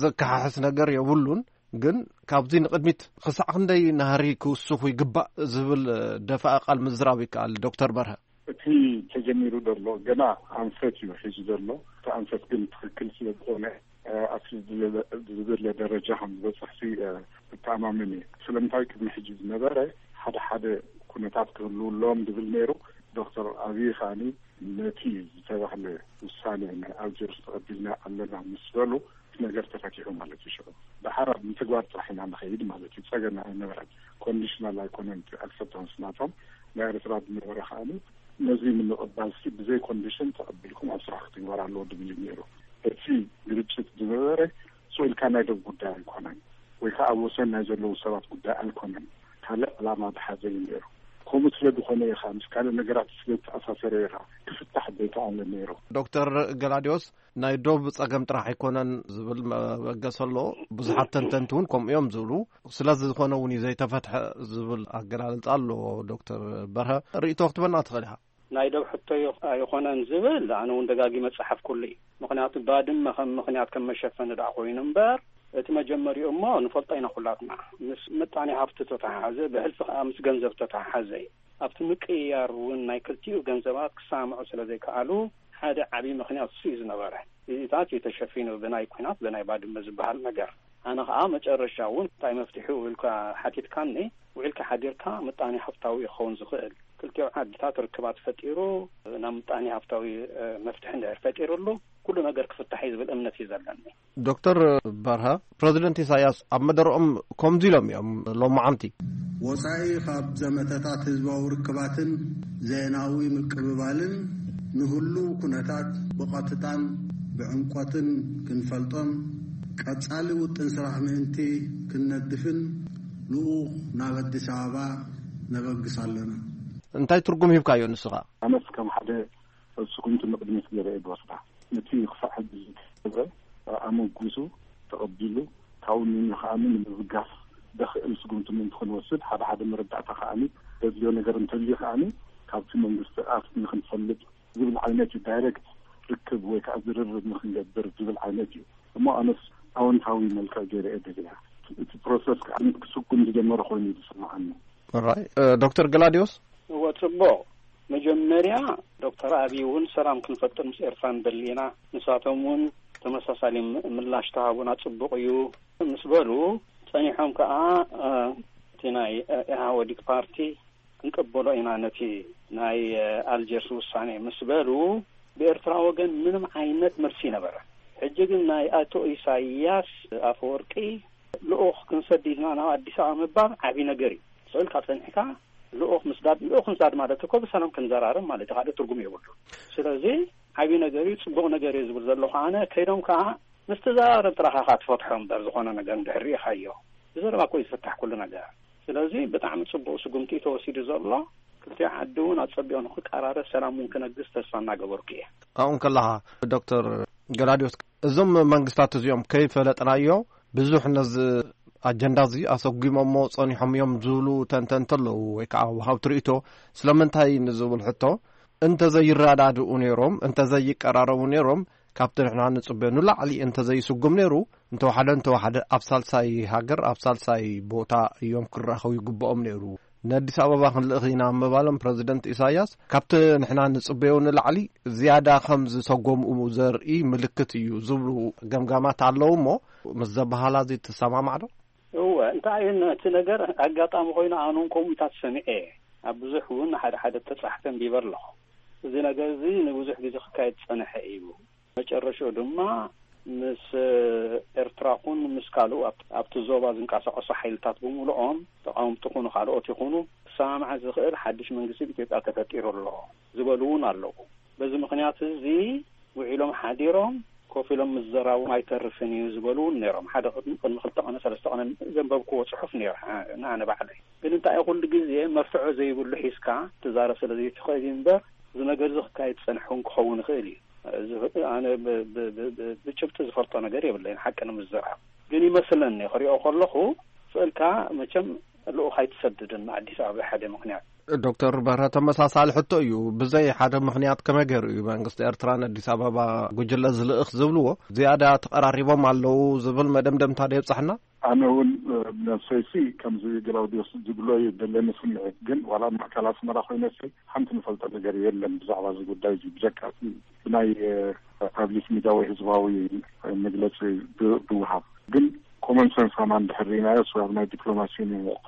ዘከሓሕስ ነገር የብሉን። ግን ካብዚ ንቕድሚት ክሳዕ ክንደይ ናህሪ ክውስኹ ይግባእ ዝብል ደፋእ ቃል ምዝራብ ይከኣል። ዶክተር በርሀ። እቲ ተጀሚሩ ዘሎ ገና ኣንፈት እዩ ሒዙ ዘሎ። እቲ ኣንፈት ግን ትኽክል ስለ ዝኾነ፣ እ፣ ኣብቲ ዝድለ-፣ ዝድለ ደረጃ ከም ዝበፅሕ ሲ፣ እ፣ እተኣማመን እየ። ስለምንታይ ቅድሚ ሕጂ ዝነበረ ሓደ ሓደ ኩነታት ክህልዉ ኣለዎም ዝብል ነይሩ። ዶክተር ኣብዪ ከኣኒ ነቲ ዝተባህለ ውሳኔ ናይ ኣልጀርስ ተቐቢልና ኣለና ምስ በሉ፣ እቲ ነገር ተፈቲሑ ማለት እዩ። ሽዑ ደሓር ኣብ ምትግባር ጥራሕ ኢና ንኸይድ ማለት እዩ። ጸገም ኣይነበረን። ኮንዲሽናል ኣይኮነን፣ እቲ ኣክሰፕታንስ ናቶም። ናይ ኤርትራ ዝነበረ ከኣኒ ነዚ ንምቕባል ሲ ብዘይ ኮንዲሽን ተቐቢልኩም ኣብ ስራሕ ክትግበር ኣለዎ ድብል እዩ ነይሩ። እቲ ግርጭት ዝነበረ ስቕ ኢልካ ናይ ደብ ጉዳይ ኣይኮነን፣ ወይ ከዓ ኣብ ወሰን ናይ ዘለዉ ሰባት ጉዳይ ኣይኮነን። ካልእ ዕላማ ዝሓዘ እዩ ነይሩ። ከምኡ ስለ ዝኾነ እዩ ከዓ ምስ ካልእ ነገራት ስለ ዝተኣሳሰረ እዩ ከዓ ክፍታሕ ዘይከኣለ ነይሩ። ዶክተር ገላዲዮስ፣ ናይ ዶብ ጸገም ጥራሕ ኣይኮነን ዝብል መበገሲ ኣሎ። ብዙሓት ተንተንቲ እውን ከምኡ እዮም ዝብሉ። ስለዚ ዝኾነ እውን እዩ ዘይተፈትሐ ዝብል ኣገላልጻ ኣሎ። ዶክተር በርሀ፣ ርእይቶ ክትበና ትኽእል ኢኻ። ናይ ዶብ ሕቶ ይኾ-፣ ኣይኾነን ዝብል ኣነ እውን ደጋጊመ ጸሓፍኩሉ እዩ። ምኽንያቱ ባድመ ከም ምኽንያት ከም መሸፈኒ ደኣ ኮይኑ እምበር፣ እቲ መጀመሪኡ እሞ ንፈልጦ ኢና ኩላትና። ምስ ምጣኔ ሃብቲ ተተሓሓዘ፣ ብሕልፊ ከኣ ምስ ገንዘብ ተተሓሓዘ እዩ። ኣብቲ ምቅይያር እውን ናይ ክልቲኡ ገንዘባት ክሰማምዑ ስለ ዘይከኣሉ፣ ሓደ ዓብዪ ምኽንያት እሱ እዩ ዝነበረ። እዚታት እዩ ተሸፊኑ ብናይ ኲናት፣ ብናይ ባድመ ዝበሃል ነገር። ኣነ ኸዓ መጨረሻ እውን እንታይ መፍትሒኡ ኢልካ ሓቲትካኒ፣ ውዒልካ ሓዲርካ ምጣኔ ሃብታዊ ክኸውን ዝኽእል፣ ክልቲኡ ዓድታት ርክባት ፈጢሩ፣ ናብ ምጣኔ ሃብታዊ፣ እ፣ መፍትሒ እንድሕር ፈጢሩሉ፣ ኩሉ ነገር ክፍታሕ እዩ ዝብል እምነት እዩ ዘለኒ። ዶክተር በርሀ፣ ፕረዚደንት ኢሳያስ ኣብ መደረኦም ከምዚ ኢሎም እዮም ሎማዓንቲ። ወጻኢ ካብ ዘመተታት ህዝባዊ ርክባትን ዜናዊ ምቅብባልን ንህሉ ኩነታት ብቐጥታን ብዕምቆትን ክንፈልጦን ቀጻሊ ውጥን ስራሕ ምእንቲ ክንነድፍን ልኡኽ ናብ ኣዲስ ኣበባ ነበግስ ኣለና። እንታይ ትርጉም ሂብካዮ ንስኻ? ኣነስ ከም ሓደ ስጉምቲ ንቕድሚት ገይረ እየ ዝወስዳ። ነቲ ክሳዕ ሕጂ ዝተገብረ ኣመጉሱ ተቐቢሉ ካብኡ ንንዩ ከኣ ንምብጋስ ዘኽእል ስጉምቲ ምእንቲ ክንወስድ ሓደ ሓደ መረዳእታ ከኣ ዘድልዮ ነገር እንተልዩ ከኣ ካብቲ መንግስቲ ኣፍ ንክንፈልጥ ዝብል ዓይነት እዩ። ዳይሬክት ርክብ ወይ ከዓ ዝርርብ ንክንገብር ዝብል ዓይነት እዩ። እሞ ኣነስ ኣወንታዊ መልክዕ ገይረ እየ ደሪያ። እቲ ፕሮሰስ ከዓ ክስጉም ዝጀመረ ኮይኑ እዩ ዝስምዓኒ። ራይ ዶክተር ገላዲዮስ? እወ፣ ጽቡቕ። መጀመርያ ዶክተር ኣብይ እውን ሰላም ክንፈጥር ምስ ኤርትራ ንደሊ ኢና፣ ንሳቶም እውን ተመሳሳሊ ም- ምላሽ ተሃቡና፣ ጽቡቕ እዩ ምስ በሉ፣ ጸኒሖም ከዓ እ፣ እቲ ናይ እ፣ ኢህወዲግ ፓርቲ ክንቅበሎ ኢና ነቲ ናይ እ፣ ኣልጀርስ ውሳኔ ምስ በሉ፣ ብኤርትራ ወገን ምንም ዓይነት መልሲ ነበረ። ሕጂ ግን ናይ ኣቶ ኢሳያስ ኣፈወርቂ ልኡኽ ክንሰድድና ናብ ኣዲስ ኣበባ ምባል ዓቢ ነገር እዩ። ስእልካ ጸኒሕካ ልኡኽ ምስዳድ፣ ልኡኽ ምስዳድ ማለት እኮ ብሰላም ክንዘራረብ ማለት እዩ፣ ካልእ ትርጉም የብሉ። ስለዚ ዓቢ ነገር እዩ፣ ጽቡቕ ነገር እዩ ዝብል ዘለኹ ኣነ። ከይዶም ከኣ ምስ ተዘራረብ ጥራኻ ከኣ ትፈትሖ እምበር፣ ዝኾነ ነገር እንድሕር ርኢኻዮ ብዘረባ እኮ እዩ ዝፍታሕ ኩሉ ነገር። ስለዚ ብጣዕሚ ጽቡቕ ስጉምቲ እዩ ተወሲዱ ዘሎ። ክልቲኡ ዓዲ እውን ኣጸቢቑ ንክቀራረብ፣ ሰላም እውን ክነግስ ተስፋ እናገበርኩ እየ። ኣብኡ እንከለኻ ዶክተር ገላዲዮስ፣ እዞም መንግስታት እዚኦም ከይፈለጥናዮ ብዙሕ ነዚ ኣጀንዳ እዚ ኣሰጒሞሞ ጸኒሖም እዮም ዝብሉ ተንተንቲ ኣለዉ፣ ወይ ከዓ ወሃብቲ ርእይቶ። ስለምንታይ ንዝብል ሕቶ፣ እንተዘይረዳድኡ ነይሮም፣ እንተዘይቀራረቡ ነይሮም፣ ካብቲ ንሕና ንጽበዮ ንላዕሊ እንተዘይስጉም ነይሩ፣ እንተወሓደ እንተወሓደ ኣብ ሳልሳይ ሃገር፣ ኣብ ሳልሳይ ቦታ እዮም ክራኸቡ ይግብኦም ነይሩ። ንኣዲስ ኣበባ ክንልእኽ ኢና ምባሎም ፕረዚደንት ኢሳያስ ካብቲ ንሕና ንጽበዮ ንላዕሊ ዝያዳ ከም ዝሰጎምኡ ዘርኢ ምልክት እዩ ዝብሉ ገምጋማት ኣለዉ። እሞ ምስ ዘበሃላ እዚ ትሰማማዕ ዶ? እወ፣ እንታይ እዩ እቲ ነገር? ኣጋጣሚ ኮይኑ ኣነ እውን ከምኡታት ሰሚዐ እየ። ኣብ ብዙሕ እውን ሓደ ሓደ ተጻሕፈ ኣንቢበ ኣለኹ። እዚ ነገር እዚ ንብዙሕ ግዜ ክካየድ ዝጸንሐ እዩ። መጨረሻኡ ድማ ምስ ኤርትራ ኩን ምስ ካልኡ ኣብ- ኣብቲ ዞባ ዝንቀሳቐሱ ሓይልታት ብምሉኦም፣ ተቓወምቲ ኩኑ ካልኦት ይኹኑ፣ ክሰማማዕ ዝኽእል ሓድሽ መንግስቲ ኣብ ኢትዮጵያ ተፈጢሩ ኣሎ ዝበሉ እውን ኣለዉ። በዚ ምኽንያት እዚ ውዒሎም ሓዲሮም ኮፍ ኢሎም ምዝራቦም ኣይተርፍን እዩ ዝበሉ እውን ነይሮም። ሓደ ቅድሚ ቅድሚ ክልተ ቀነ ሰለስተ ቀነ ዘንበብክዎ ጽሑፍ ነይሩ፣ አ- ንኣነ ባዕለይ። ግን እንታይ ኩሉ ግዜ መርትዖ ዘይብሉ ሒዝካ ትዛረብ ስለ ዘይትኽእል እዩ እምበር፣ እዚ ነገር እዚ ክካየድ ዝጸንሐ እውን ክኸውን ይኽእል እዩ። እዚ ኣነ ብ- ብ- ብ- ብ- ብጭብጢ ዝፈልጦ ነገር የብለይን፣ ሓቂ ንምዝራብ። ግን ይመስለኒ፣ ክሪኦ ከለኹ፣ ስእልካ መቸም ልኡኽ ኣይትሰድድን ኣዲስ ኣበባ ሓደ ምኽንያት። ዶክተር በርሀ፣ ተመሳሳሊ ሕቶ እዩ። ብዘይ ሓደ ምኽንያት ከመይ ገይሩ እዩ መንግስቲ ኤርትራ ንኣዲስ ኣበባ ጉጅለ ዝልእኽ ዝብልዎ? ዝያዳ ተቐራሪቦም ኣለዉ ዝብል መደምደምታ ዶ የብጻሕና? ኣነ እውን እ፣ ነብሰይሲ ከምዚ ግላውዲዮስ ዝብሎ እዩ ዘለኒ ስምዒት። ግን ዋላ ኣብ ማእከል ኣስመራ ኮይነሲ ሓንቲ ንፈልጦ ነገር የለን ብዛዕባ እዚ ጉዳይ እዚ፣ ብጀካ እቲ ብናይ እ፣ ፓብሊክ ሚድያ ወይ ህዝባዊ መግለጺ ብ- ብውሃብ። ግን ኮመን ሰንስ ከማን እንድሕር ርኢናዮ፣ ወይ ኣብ ናይ ዲፕሎማሲ፣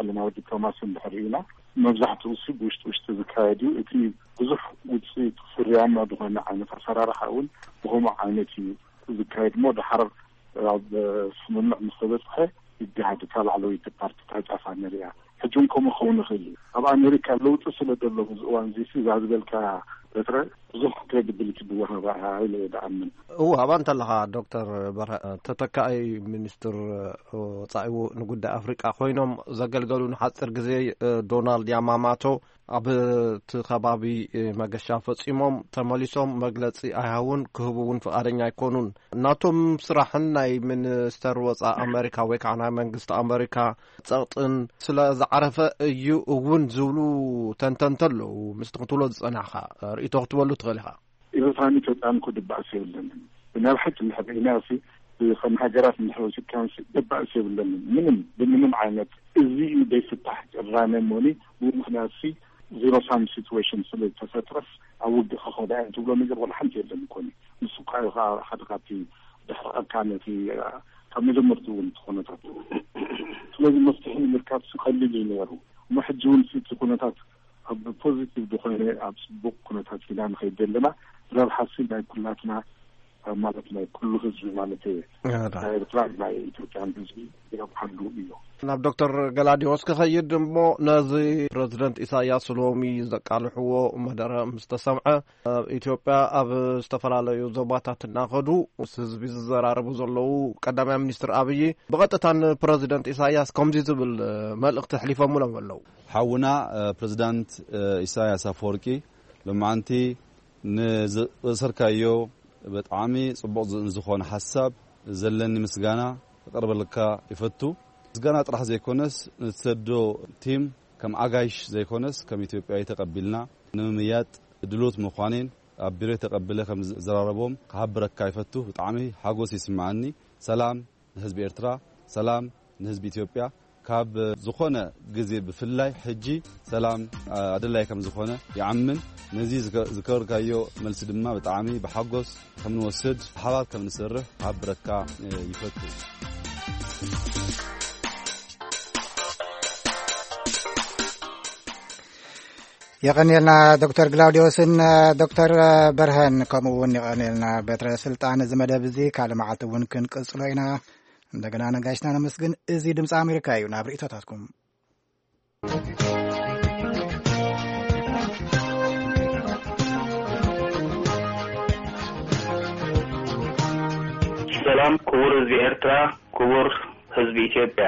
ዓለማዊ ዲፕሎማሲ እንድሕር ርኢና፣ መብዛሕትኡ ሲ ብውሽጢ ውሽጢ ዝካየድ እዩ። እቲ ብዙሕ ውፅኢት ፍርያማ ዝኾነ ዓይነት ኣሰራርሓ እውን ብኸምኡ ዓይነት እዩ ዝካየድ እሞ፣ ድሓር ኣብ ስምምዕ ምስ ተበፅሐ ይገሃድ፣ እታ ላዕለወይቲ ፓርቲ እታ ጫፋ ንሪኣ። ሕጂ እውን ከምኡ ክኸውን ይኽእል እዩ። ኣብ ኣሜሪካ ለውጢ ስለ ዘሎ፣ ኣብዚ እዋን እዚ ሲ እዛ ዝበልካ በትረ ብዙሕ ክሬዲቢሊቲ ብወሃባ ኢለ እየ ድኣምን። እወ፣ ኣብኣ እንተለኻ ዶክተር በርሀ፣ ተተካኣይ ሚኒስትር ወጻኢ ንጉዳይ ኣፍሪቃ ኮይኖም ዘገልገሉ ንሓጺር ግዜ ዶናልድ ያማማቶ ኣብ እቲ ከባቢ መገሻ ፈጺሞም ተመሊሶም መግለጺ ኣይሃቡን፣ ክህቡ እውን ፍቓደኛ ኣይኮኑን። ናቶም ስራሕን ናይ ሚኒስተር ወጻኢ ኣመሪካ ወይ ከዓ ናይ መንግስቲ ኣመሪካ ጸቕጥን ስለ ዝዓረፈ እዩ እውን ዝብሉ ተንተንቲ ኣለዉ። ምስቲ ክትብሎ ዝጸናሕካ ርእይቶ ክትበሉ ትኽእል ኢኻ። ኤርትራን ኢትዮጵያን እኮ ድባእስ የብለንን። ብናይ ብሓቂ እንድሕር ርኢናዮ ሲ፣ ከም ሃገራት እንድሕር ወሲድካዮ ሲ፣ ድባእስ የብለንን። ምንም፣ ብምንም ዓይነት። እዚ እዩ ዘይፍታሕ ቅራነ እሞኒ፣ ብኡ ምኽንያት ሲ፣ ዜሮ ሳም ሲትዌሽን ስለ ዝተፈጥረስ ኣብ ውግእ ክኸዳ እየን ትብሎ ነገር ዋላ ሓንቲ የለን እኮ። ንሱ እኳ እዩ ከዓ ሓደ ካብቲ ድሕረቐካ ነቲ፣ ካብ መጀመርትኡ እውን እቲ ኩነታት። ስለዚ መፍትሒ ንምርካብ ሲ ቀሊል እዩ ነይሩ። እሞ ሕጂ እውን ሲ እቲ ኩነታት ኣብ ፖዚቲቭ ዝኾነ ኣብ ጽቡቕ ኩነታት ኢና ንኸይድ ዘለና። ረብሓ ሲ ናይ ኩላትና ማለት ናይ ኩሉ ህዝቢ ማለት ናይ ኤርትራ ናይ ኢትዮጵያን ህዝቢ የብሓሉ እዩ። ናብ ዶክተር ገላዲዮስ ክኸይድ እሞ፣ ነዚ ፕረዚደንት ኢሳያስ ሎሚ ዘቃልሕዎ መደረ ምስ ተሰምዐ፣ ኣብ ኢትዮጵያ ኣብ ዝተፈላለዩ ዞባታት እናኸዱ ምስ ህዝቢ ዝዘራረቡ ዘለዉ ቀዳማይ ሚኒስትር ኣብይ፣ ብቐጥታ ንፕረዚደንት ኢሳያስ ከምዚ ዝብል መልእኽቲ ኣሕሊፎምሎም ኣለዉ። ሓውና ፕረዚዳንት ኢሳያስ ኣፈወርቂ፣ ሎማዓንቲ ንዘእሰርካዮ ብጣዕሚ ጽቡቕ ዝ-፣ ዝኾነ ሓሳብ ዘለኒ ምስጋና ክቕርበልካ ይፈቱ። ምስጋና ጥራሕ ዘይኮነስ፣ ንትሰዶ ቲም ከም ኣጋይሽ ዘይኮነስ፣ ከም ኢትዮጵያዊ ተቐቢልና ንምምያጥ ድሉት ምዃኔን ኣብ ቢሮ ተቐብለ ከም ዝዘራረቦም ክሃብረካ ይፈቱ። ብጣዕሚ ሓጎስ ይስምዓኒ። ሰላም ንህዝቢ ኤርትራ፣ ሰላም ንህዝቢ ኢትዮጵያ። ካብ ዝኾነ ግዜ ብፍላይ ሕጂ ሰላም ኣድላይ ከም ዝኾነ ይኣምን። ነዚ ዝገ-፣ ዝገበርካዮ መልሲ ድማ ብጣዕሚ ብሓጎስ ከም ንወስድ፣ ብሓባር ከም ንሰርሕ ክሓብረካ ይፈቱ። የቐንየልና ዶክተር ግላውዲዮስን ዶክተር በርሀን፣ ከምኡ እውን የቐንየልና በትረ ስልጣን። እዚ መደብ እዚ ካልእ መዓልቲ እውን ክንቅጽሎ ኢና። እንደገና ነጋሽና ነመስግን። እዚ ድምፂ ኣሜሪካ እዩ። ናብ ርእይቶታትኩም። ሰላም ክቡር ህዝቢ ኤርትራ፣ ክቡር ህዝቢ ኢትዮጵያ፣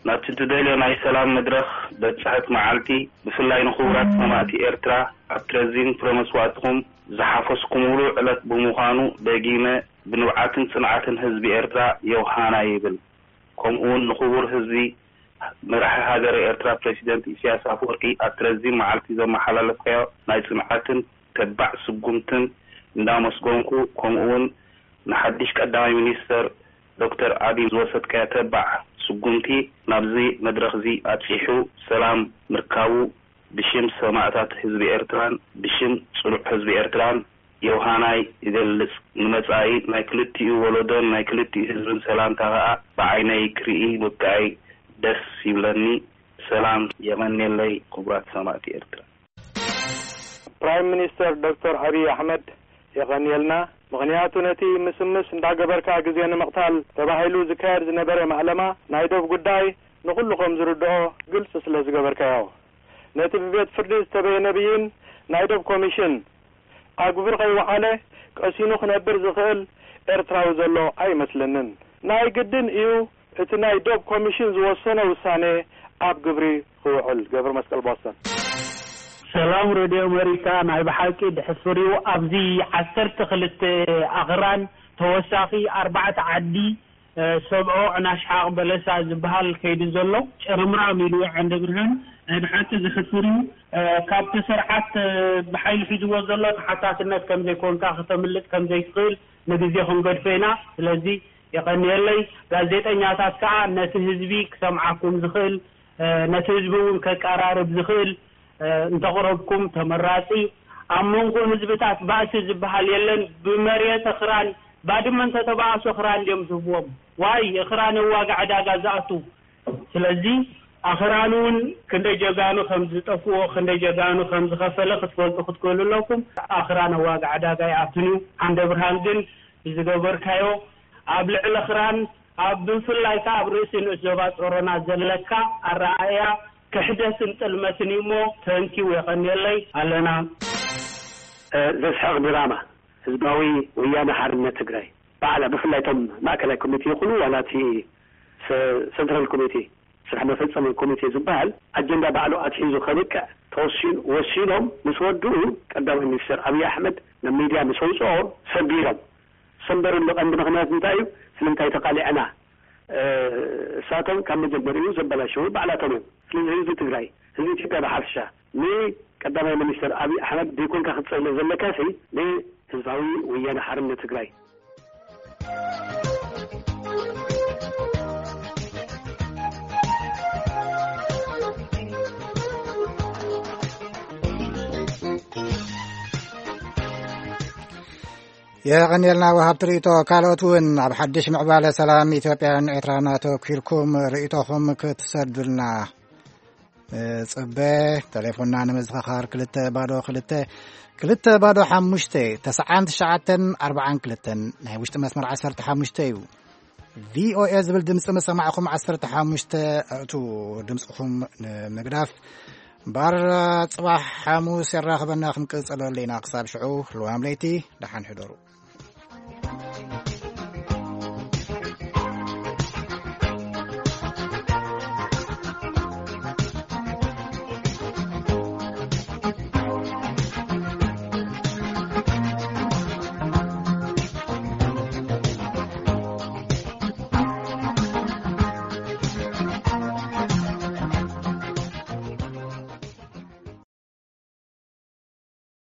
ናብቲ ትደልዮ ናይ ሰላም መድረኽ በጻሕት መዓልቲ፣ ብፍላይ ንክቡራት ሰማእቲ ኤርትራ ኣብ ትረዚን ፍረ መስዋእትኹም ዝሓፈስኩምሉ ዕለት ብምዃኑ፣ ደጊመ ብንብዓትን ጽንዓትን ህዝቢ ኤርትራ ዮሃና ይብል። ከምኡውን ንክቡር ህዝቢ መራሒ ሃገረ ኤርትራ ፕረሲደንት ኢሳያስ ኣፈወርቂ ኣብ ትረዚን መዓልቲ ዘመሓላለፍካዮ ናይ ጽንዓትን ተባዕ ስጉምትን እንዳመስገንኩ፣ ከምኡውን ንሓድሽ ቀዳማይ ሚኒስተር ዶክተር ኣቢይ ዝወሰድካዮ ተባዕ ስጉምቲ ናብዚ መድረኽዚ ኣብጺሑ ሰላም ምርካቡ ብሽም ሰማእታት ህዝቢ ኤርትራን ብሽም ጽኑዕ ህዝቢ ኤርትራን ዮሃናይ ይገልጽ። ንመጻኢ ናይ ክልቲኡ ወለዶን ናይ ክልቲኡ ህዝብን ሰላምታ ከኣ ብዓይነይ ክርኢ ምብቃዓይ ደስ ይብለኒ። ሰላም የቐንየለይ ክቡራት ሰማእቲ ኤርትራ። ፕራይም ሚኒስተር ዶክተር ኣብይ ኣሕመድ የቐንየልና። ምኽንያቱ ነቲ ምስምስ እንዳገበርካ ግዜ ንምቕታል ተባሂሉ ዝካየድ ዝነበረ ማእለማ ናይ ዶብ ጉዳይ ንኹሉ ከም ዝርድኦ ግልጺ ስለ ዝገበርካዮ። ነቲ ብቤት ፍርዲ ዝተበየነ ብይን ናይ ዶብ ኮሚሽን ኣብ ግብሪ ከይወዓለ ቀሲኑ ክነብር ዝኽእል ኤርትራዊ ዘሎ ኣይመስለንን። ናይ ግድን እዩ እቲ ናይ ዶብ ኮሚሽን ዝወሰኖ ውሳኔ ኣብ ግብሪ ክውዕል። ገብረ መስቀል ቦስተን። ሰላም ሬድዮ ኣሜሪካ፣ ናይ ብሓቂ ድሕፍር እዩ። ኣብዚ ዓሰርተ ክልተ ኣኽራን ተወሳኺ ኣርባዕተ ዓዲ፣ እ፣ ሰብዖ፣ ዕናሽሓቕ፣ በለሳ ዝበሃል ከይዱ ዘሎ ጭርምራም ኢሉ። ዓንደ ብርሃን፣ ናይ ብሓቂ ዘሕፍር እዩ። እ፣ ካብቲ ስርዓት፣ እ፣ ብሓይሊ ሒዝዎ ዘሎ ተሓታትነት ከም ዘይኮንካ፣ ከተምልጥ ከም ዘይትኽእል ንግዜ ክንገድፎ ኢና። ስለዚ የቐንየለይ። ጋዜጠኛታት ከኣ ነቲ ህዝቢ ክሰምዓኩም ዝኽእል፣ እ፣ ነቲ ህዝቢ እውን ከቀራርብ ዝኽእል፣ እ፣ እንተቕረብኩም ተመራጺ። ኣብ መንጎ ህዝብታት ባእሲ ዝበሃል የለን። ብመሬት እኽራን ባድመ እንተተባእሱ እኽራን ድዮም ዝህብዎም? ዋይ፣ እኽራን ኣብ ዋጋ ዕዳጋ ዝኣቱ። ስለዚ ኣኽራን እውን ክንደይ ጀጋኑ ከም ዝጠፍኦ፣ ክንደይ ጀጋኑ ከም ዝኸፈለ ክትፈልጡ ክትክእሉ ኣለኩም። ኣኽራን ኣብ ዋጋ ዕዳጋ ይኣቱን እዩ። ዓንደ ብርሃን ግን ብዝገበርካዮ ኣብ ልዕሊ ክራን ኣብ ብፍላይ ከኣ ኣብ ርእሲ ንኡስ ዞባ ጾሮና ዘለካ ኣረኣእያ ክሕደትን ጥልመትን እዩ እሞ፣ ተንኪው የቐንየለይ ኣለና። እ፣ ዘስሕቕ ድራማ ህዝባዊ ወያነ ሓርነት ትግራይ ባዕላ ብፍላይ እቶም ማእከላይ ኮሚቴ ይኹኑ ዋላ እቲ ሰ-፣ ሰንትራል ኮሚቴ ስራሕ መፈጸሚ ኮሚቴ ዝበሃል ኣጀንዳ ባዕሉ ኣትሒዙ ከብቅዕ ተወሲኑ፣ ወሲኖም ምስ ወድኡ ቀዳማይ ሚኒስትር ኣብይ ኣሕመድ ናብ ሚድያ ምስ ኣውፅኦ ሰቢሮም። ሰንበርሉ ቀንዲ ምኽንያት እንታይ እዩ? ስለምንታይ ተቃሊዕና? እ፣ እሳቶም ካብ መጀመሪኡ ዘበላሸዉ ባዕላቶም እዮም። ስለዚ ህዝቢ ትግራይ፣ ህዝቢ ኢትዮጵያ ብሓፈሻ ንቀዳማይ ሚኒስትር ኣብይ ኣሕመድ ዘይኮንካ ክትጸልእ ዘለካሲ ንህዝባዊ ወያነ ሓርነት ትግራይ። የቐንየልና ወሃብቲ ርእይቶ። ካልኦት እውን ኣብ ሓድሽ ምዕባለ ሰላም ኢትዮጵያን ኤርትራን ኣተኲርኩም ርእይቶኹም ክትሰዱልና ጽበ። ቴሌፎንና ንምዝኸኻር ክልተ ባዶ ክልተ፣ ክልተ ባዶ ሓሙሽተ፣ ተስዓን ትሽዓተን ኣርባዓን ክልተን፣ ናይ ውሽጢ መስመር ዓሰርተ ሓሙሽተ እዩ። ቪ ኦ ኤ ዝብል ድምፂ መሰማዕኹም ዓሰርተ ሓሙሽተ እቱ ድምፅኹም ንምግዳፍ ባር። ፅባሕ ሓሙስ የራኽበና። ክንቅፅለሉ ኢና። ክሳብ ሽዑ ልዋም ለይቲ፣ ደሓን ሕደሩ።